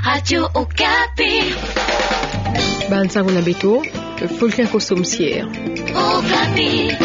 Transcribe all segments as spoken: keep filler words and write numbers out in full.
Radio Okapi. Bansango na beto, Fulgence Kosso Musiere. Okapi.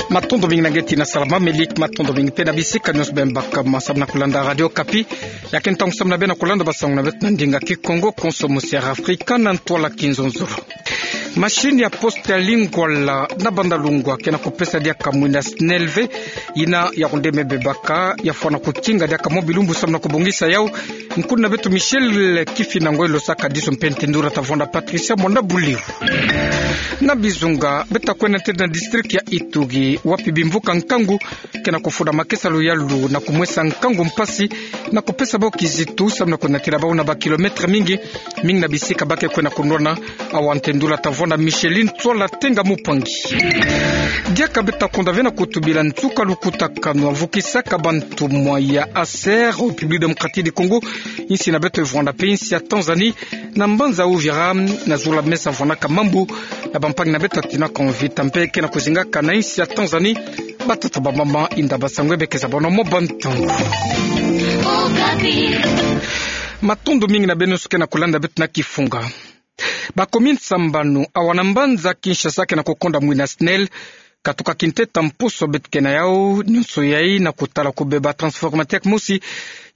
Matondo mingi na nge tina salama, Melik, matondo mingi mpe na bisika nyonso beno baka ma samu na kulanda Radio Okapi. Ya ke ntangu samu na beno kulanda bansango na beto na ndinga Kikongo, Konso Musiere Afrika na ntwala Kinzonzolo. Machine ya poste ya Lingwala na Bandalungwa ke na kupesa diaka mwinda SNEL ve, ina ya kunde me bebaka, ya fwana kutinga diaka mwa bilumbu samu na kubongisa yau. Nkuna beto Michel Kifinangoi lo saka diso mpe ntendula tavonda Patricia Mwanda Buliu. Na Bizunga, beta kwenda ntete na district ya Ituri, wapi bimvuka nkangu ke na kufunda makesa luyalu na kumwesa nkangu mpasi, na kupesa bau kizitu samu na kunatila bau na ba kilomètre mingi, mingi na bisika ba ke kwenda kunwana. Awa ntendula tavonda Micheline Tsola Tenga Mupangi. Diaka beta konda ve na kutubila nsuka lukutakanu avukisaka bantumwa ya ASER au République Démocratique du Congo, insi na beto evwanda mpe insi ya Tanzanie, na mbanza Uvira, na zula mesa vwanaka mambu na bampangi na beto atinaka Mvita mpe ke na kuzingaka na insi ya Tanzanie. Batata, bamama, inda, basangwe, beke za bono mo bantu. Matondo mingi na beno nyonso ke na kulanda beto na kifunga. Ba commune sambanu awa na mbanza Kinshasa ke na kukonda mwinda SNEL, katuka kinteta mposo beto ke na yau, nyonso yai na kutala kubeba transformateur mosi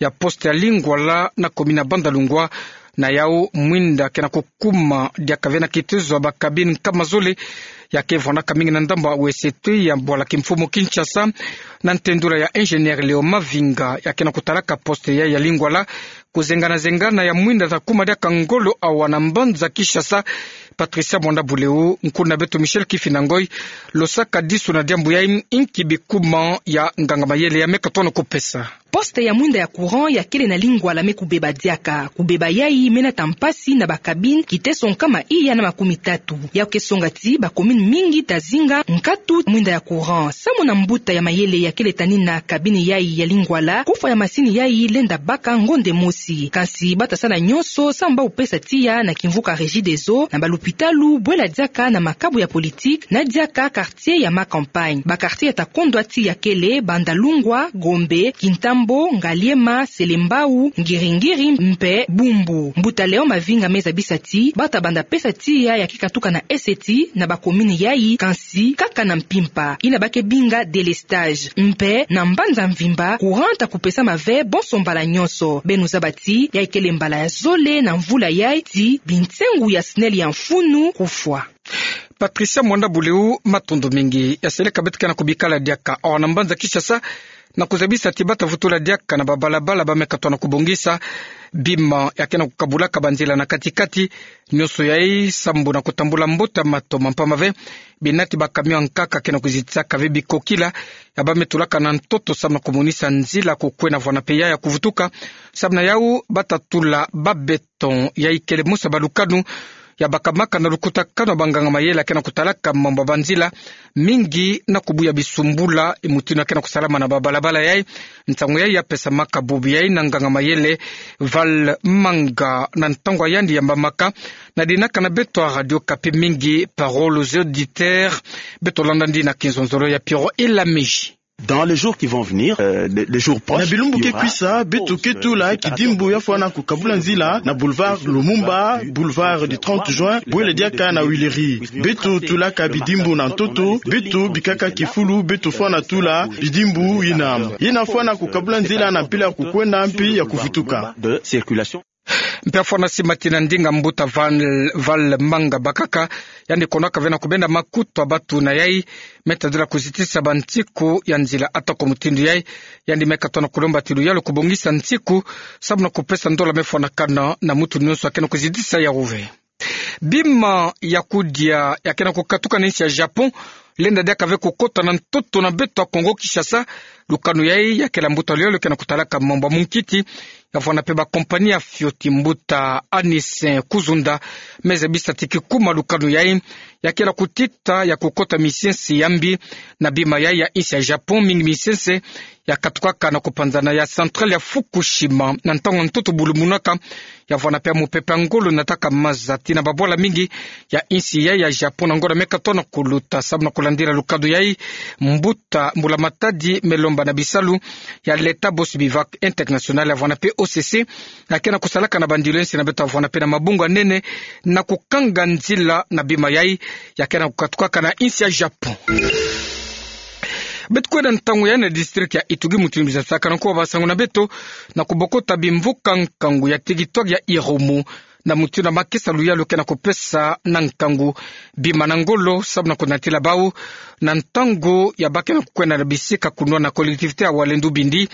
ya poste ya Lingwala na commune ya Bandalungwa. Na yau mwinda ke na kukuma diaka ve na kitezo ya ba cabine nkama zole, ya ke vwanaka mingi na ndambu ya wesete ya bwala kimfumu Kinshasa, na ntendula ya ingénieur Léo Mavinga, ya ke na kutalaka poste yai ya Lingwala, kuzengana-zengana ya mwinda ta kuma diaka ngolo awa na mbanza Kinshasa. Patricia Mwanda Buliu, nkuna beto Michel Kifinangoi lo saka diso na diambu yai, inki bikuma ya nganga mayele ya me katono kupesa. Poste ya mwinda ya courant ya kele na Lingwala me kubeba diaka. Kubeba yai me nata mpasi na ba cabine kiteso nkama iya na makumi tatu. Yau ke songa ti ba commune mingi ta zinga nkatu mwinda ya courant. Samu na mbuta ya mayele ya kele tanina cabine yai ya Lingwala, kufwa ya masini yai lenda baka ngonde mosi. Kansi bata sala nyonso samu bau pesa tiya na kimvuka Regideso, na ba lupitalu, bwela diaka na makabu ya politique, na diaka quartier ya ma campagne. Ba quartier ya ta kondwa tiya kele Bandalungwa, Gombe, Kintambo, Ngaliema, Selembao, Ngiri-Ngiri mpe Bumbu. Mbuta Léon Mavinga me zabisa ti bata banda pesa tiya ya ke katuka na eseti na ba commune yai, kansi kaka na mpimpa, ina ba ke binga délestage. Mpe na mbanza mvimba, courant ta kupesama ve bonso mbala nyonso. Beno zaba ti yai kele mbala ya zole na mvula yai ti binsengu ya SNEL ya mfunu kufwa. Patricia Mwanda Buliu, matondo mingi. Ya seleka beto ke na kubikala diaka awa na mbanza Kinshasa, na kuzabisa ti bata vutula diaka na ba balabala ba me katono kubongisa, bima ya ke na kukabulaka banzila na kati-kati, nyonso yai sambu na kutambula mbote ya matoma, mpamba ve binati ba camion ya nkaka ke na kuzitisaka ve bikokila ya ba me tulaka na ntoto samu na kumonisa nzila kukwena vwana mpe ya ya kuvutuka. Samu na yau bata tula ba béton ya ikele mosi ya ba lukanu ya bakamaka na lukutakanu ya ba nganga mayele ya ke na kutalaka mambu ya banzila, mingi na kubuya bisumbula, mutindu ya ke na kusalama na ba balabala yai. Nsangu yai ya pesamaka bubu yai na nganga mayele Val Manga na ntangu ya yandi yambamaka na dinaka na beto ya Radio Okapi mingi, Parole aux auditeurs. Beto landa ndina kinzonzolo ya Pierrot Elamiji. Dans les jours qui vont venir, euh, les, les jours proches, na bilumbu ke kwisa, beto ke tula kidimbu ya fwana kukabula nzila na boulevard Lumumba, boulevard du trente juin, bwela diaka na Huileries. Beto tulaka bidimbu na ntoto, beto bikaka kifulu, beto fwana tula bidimbu yina. Yina fwana kukabula nzila na mpila ya kukwenda mpi ya kuvutuka. De circulation. Mpe ya fwana simatina ndinga mbuta Val, Val Manga bakaka, yandi konaka ve na kubenda makutu ya batu na yai, me tadila kuzitisa bansiku ya nzila. Atako mutindu yai, yandi me katono kulomba ti luyalu kubongisa nsiku, samu na kupesa ndola me fwanakana na mutu nyonso ya ke na kuzitisa yau ve. Bima ya kudia ya ke na kukatuka na insi ya Japon, lenda diaka ve kukota na ntoto na beto ya Kongo Kinshasa. Lukanu yai ya kele mbuta luyalu ke na kutalaka mambu ya munkiti, ya vwanda pe ba compagnie ya fioti, mbuta Anis Kuzunda, me zabisa ti kikuma lukanu yai, ya kena kutita ya kukota misiensi ya mbi na bima yai ya insi ya Japon, mingi misiensi ya katukaka na kupanzana ya centrale ya Fukushima, na ntangu ntoto bulumunaka, ya vwanda pe ya mupepe ya ngolo nataka maza tii na babwala mingi ya insi yai ya Japon na ngonda me katono kuluta. Samu na kulandila lukanu yai, mbuta mbulamatadi me lomba na bisalu ya l'État Bossu Bivouac International, ya vwanda pe O C C, ya kena kusalaka na bandilu ya insi na beto, ya vwanda pe na mabungu ya nene na kukanga nzila na bima yai ya kena kukatukaka na insi ya Japon. Beto kwenda ntangu yai na district ya Ituri, mutindu mbi za sakana nko basango na beto, na kubokota bimvuka nkangu ya territoire ya Irumu, na mutindu makesa luyalu kena kupesa na nkangu bima na ngolo, samu na kunatila bau na ntangu ya ba kena kukwenda na bisika kunwa na collectivité ya Walendu Bindi,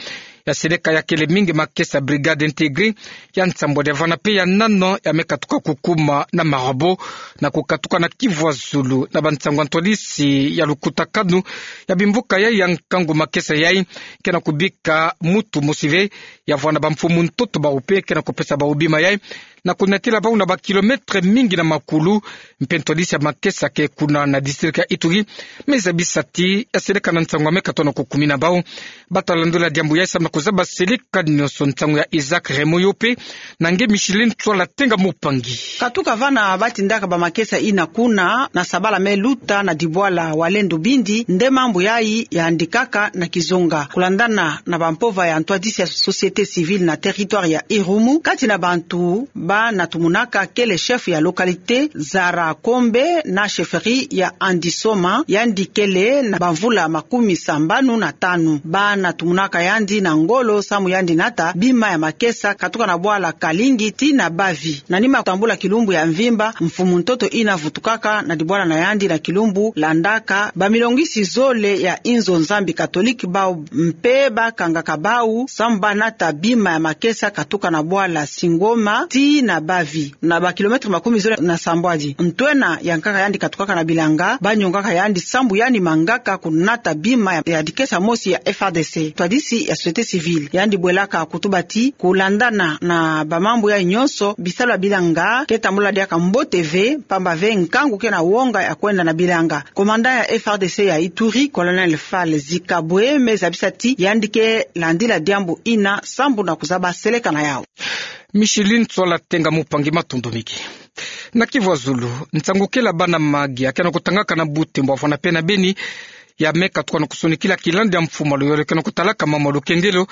ya seleka ya kele mingi makesa brigade intégrée ya nsambwadi, ya vwanda pe ya nana ya me katuka kukuma na Marabo, na kukatuka na Kivu ya Zulu, na bansango ya ntwadisi ya lukutakanu ya bimvuka yai ya nkangu, makesa yai kena kubika mutu mosi ve, ya vwanda bamfumu ntoto bau pe kena kupesa bau bima yai, na kunatila bau na ba kilomètre mingi na makulu. Mpe ntwadisi ya makesa ke kuna na district ya Ituri me zabisa ti ya seleka na nsango ya me katono kukumina bau. Bata landula diambu yai samu na kuzaba seleka nionso. Nsango ya Isaac Raymond yo pe na nge Micheline Tswala Tenga Mupangi. Katuka vana ba tindaka ba makesa ina kuna na sabala me luta na dibwala Walendu Bindi, nde mambu yai yandikaka na kizunga. Kulandana na bampova ya ntwadisi ya société civile na territoire ya Irumu, kati na bantu ba na tumunaka kele chef ya localité Zara Kombe na chefferie ya Andisoma, yandi kele na bamvula makumi sambanu na tanu. Ba na tumunaka yandi na ngolo samu yandi nata bima ya makesa katuka na bwala Kalingi tii na Bavi. Na nima kutambula kilumbu ya mvimba, mfumu ntoto ina vutukaka na dibwala na yandi na kilumbu landaka, bamilongisi zole ya inzo Nzambi catholique bau mpe ba kangaka bau samu ba nata bima ya makesa katuka na bwala Singoma tii na Bavi, na ba kilomètre makumi zole na sambwadi. Ntwena yankaka yandi katukaka na bilanga, ba nyongaka yandi samu yandi mangaka kunata bima ya, ya dikesa mosi ya F R D C. Ntwadisi ya société civile yandi bwelaka kutuba ti, kulandana na bamambu yai nionso, bisalu ya bilanga ke tambula diaka mbote ve, pamba ve nkangu ke na wonga ya kwenda na bilanga. Commandant ya F R D C ya Ituri, colonel Fally Zikabwe, me zabisa ti yandi ke landila diambu ina samu na kuzaba seleka na yau. Micheline Tswala Tenga Mupangi, matondo mingi. Na Kivu ya Zulu, nsangu kele ya bana mahagi ya kena kutangaka na Butembo, ya vwanda pe na Beni, ya me katuka na kusonikila kilandi ya mfumu ya luyalu kena kutalaka mambu ya lukengelo,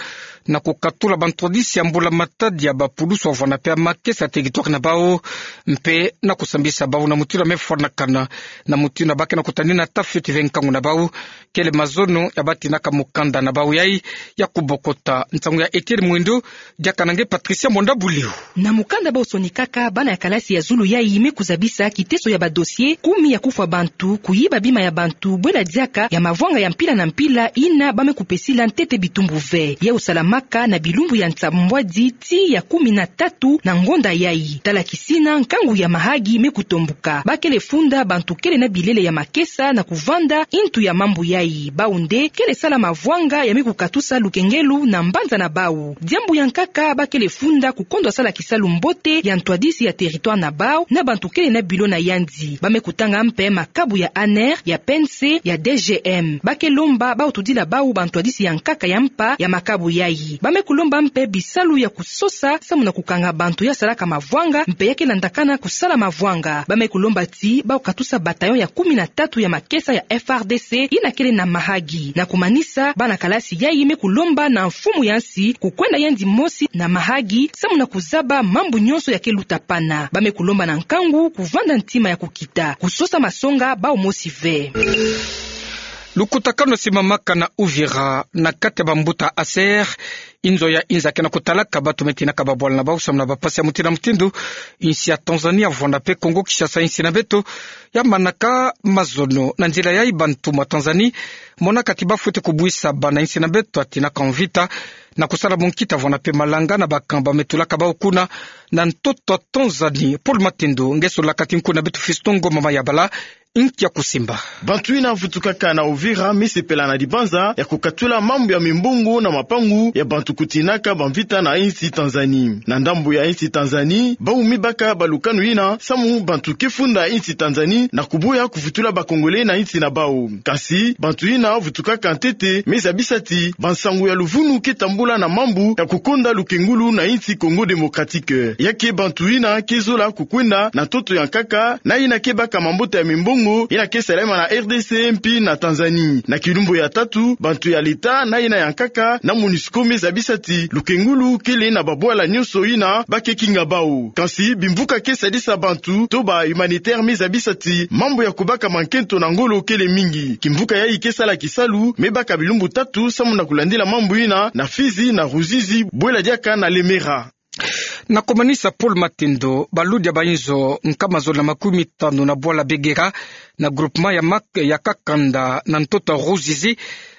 na kukatula bantwadisi ya mbulamatadi ya bapulusu, ya vwanda pe ya makesa ya territoire na bau, mpe na kusambisa bau na mutindu ya me fwanakana, na mutindu ya ba kena kutadina ta fioti ve nkangu na bau. Kele mazono ya ba tindaka mukanda na bau yai ya kubokota. Nsangu ya Etienne Mwindo, diaka na nge Patricia Mwanda Buliu. Na mukanda bau sonikaka, bana ya kalasi ya zulu yai me kuzabisa kiteso ya ba dossier, kumi ya kufwa bantu, kuyiba bima ya bantu, bwena diaka ya mavwanga ya mpila na mpila ina ba me kupesila ntete bitumbu ve. Yau salamaka na bilumbu ya nsambwadi tii ya kumi na tatu na ngonda yai. Tala kisina nkangu ya mahagi me kutombuka, ba kele funda bantu kele na bilele ya makesa na kuvanda intu ya mambu yai. Bau nde kele sala mavwanga ya me kukatusa lukengelo na mbanza na bau. Diambu ya nkaka, ba kele funda kukondwa sala kisalu mbote ya ntwadisi ya territoire na bau na bantu kele na bilo na yandi. Ba me kutanga mpe makabu ya ANR, ya PNC, ya DGM. Ba ke lomba bau tudila bau bantwadisi ya nkaka ya mpa ya makabu yai. Ba me kulomba mpe bisalu ya kusosa samu na kukanga bantu ya salaka mavwanga mpe ya ke landakana kusala mavwanga. Ba me kulomba ti bau katusa bataillon ya kumi na tatu ya makesa ya F R D C ina kele na Mahagi. Na kumanisa, bana kalasi yai me kulomba na mfumu ya nsi kukwenda yandi mosi na Mahagi samu na kuzaba mambu nionso ya ke luta pana. Ba me kulomba na nkangu kuvanda ntima ya kukita, kusosa masonga bau mosi ve. Lukutakanu simamaka na Uvira na kati ya bambuta ASER, inzo ya inza ke na kutalaka bato me tinaka babwala na bau samu na bapasi ya mutindu na mutindu. Insi ya Tanzanie ya vwanda pe Congo Kinshasa, insi na beto, ya manaka mazono. Na nzila yai, bantu mwa Tanzanie monaka ti ba fwete kubwisa bana insi na beto ya tinaka mvita na kusala mwa nkita, vwanda pe malanga na ba camp ba me tulaka bau kuna na ntoto Tanzanie. Paul Matendo nge solaka ti nku na beto Fiston Ngoma Mayabala, inki ya kusimba. Bantu ina vutukaka na Uvira me sepela na dibanza ya kukatula mambu ya mimbongo na mapangu ya bantu kutinaka bamvita na insi Tanzanie. Na ndambu ya insi Tanzanie, bau me baka balukanu ina samu bantu ke funda insi Tanzanie na kuboya kuvutula ba Congolais na insi na bau. Kasi bantu ina vutukaka ntete me zabisa ti bansangu ya luvunu ke tambula na mambu ya kukonda lukengulu na insi Congo Démocratique. Ya ke bantu ina ke zola kukwenda na ntoto ya nkaka na ina ke baka mabota ya mimbongo ina ke salama na R D C mpi na Tanzanie. Na kilumbu ya tatu, bantu ya leta na ina ya nkaka na MONUSCO me zabisa ti lukengulu kele na babwala nyonso ina ba ke kinga bau. Kasi bimvuka ke sadisa bantu to ba humanitaire me zabisa ti mambu ya kubaka mankento na ngolo kele mingi. Kimvuka yayi ke sala kisalu me baka bilumbu tatu samu na kulandila mambu ina na Fizi, na Ruzizi, bwela diaka na Lemera. Na kumanisa, Paul Matendo, baludi ya bainzo nkama zole na makumi tanu na bwala Begera, na groupement ya Mak-, ya Kakanda, na ntoto Ruzizi,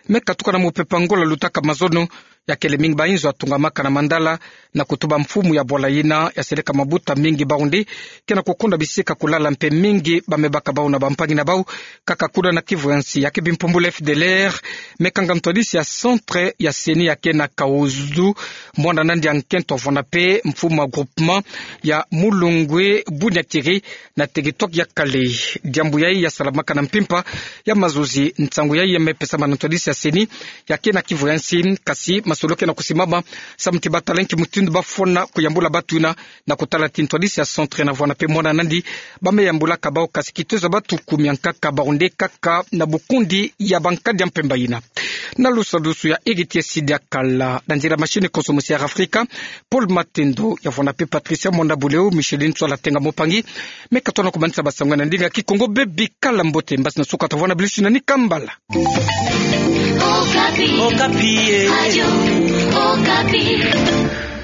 me katuka na mupepe Angola lutaka mazono. Ya kele mingi bainzo ya tungamaka na mandala na kutuba mfumu ya bwala ina ya seleka mabuta mingi bau nde ke na kukonda bisika kulala mpe mingi ba me baka bau na bampangi na bau. Kaka kuna na kivu ya nsi, ya ke bimpumbulu F D L R me kanga ntwadisi ya centre ya CENI ya ke na Kahuzu, mwana nandi ya nkento avwanda mpe mfumu ya groupement ya Mulungwe Bunyakiri na territoire ya Kale. Diambu yayi ya salamaka na mpimpa ya mazozi. Nsangu yayi ya me pesama na ntwadisi ya CENI ya ke na kivu ya nsi, kasi masolo ke na kusimama samu ti ba tala nki mutindu ba fwana kuyambula batu ina, na kutala ti ntwadisi ya centre na vwanda mpe mwana nandi ba me yambulaka bau, kasi kitezo ya batu kumi ya nkaka bau nde kaka na bukundi ya bankadi ya mpemba ina. Na lusadusu ya Héritier Sidi Akala, na nzila machine konso mosi ya Air Africa, Paul Matendo ya vwanda mpe Patricia Mwanda Buleo, Micheline Tswala Tenga Mopangi, me katona kumanisa basangu na ndinga Kikongo. Bebi kala mbote, mbasi na suka ta vwanda bilusi na ni kambala. Okapi. Okapi, eh. Radio Okapi.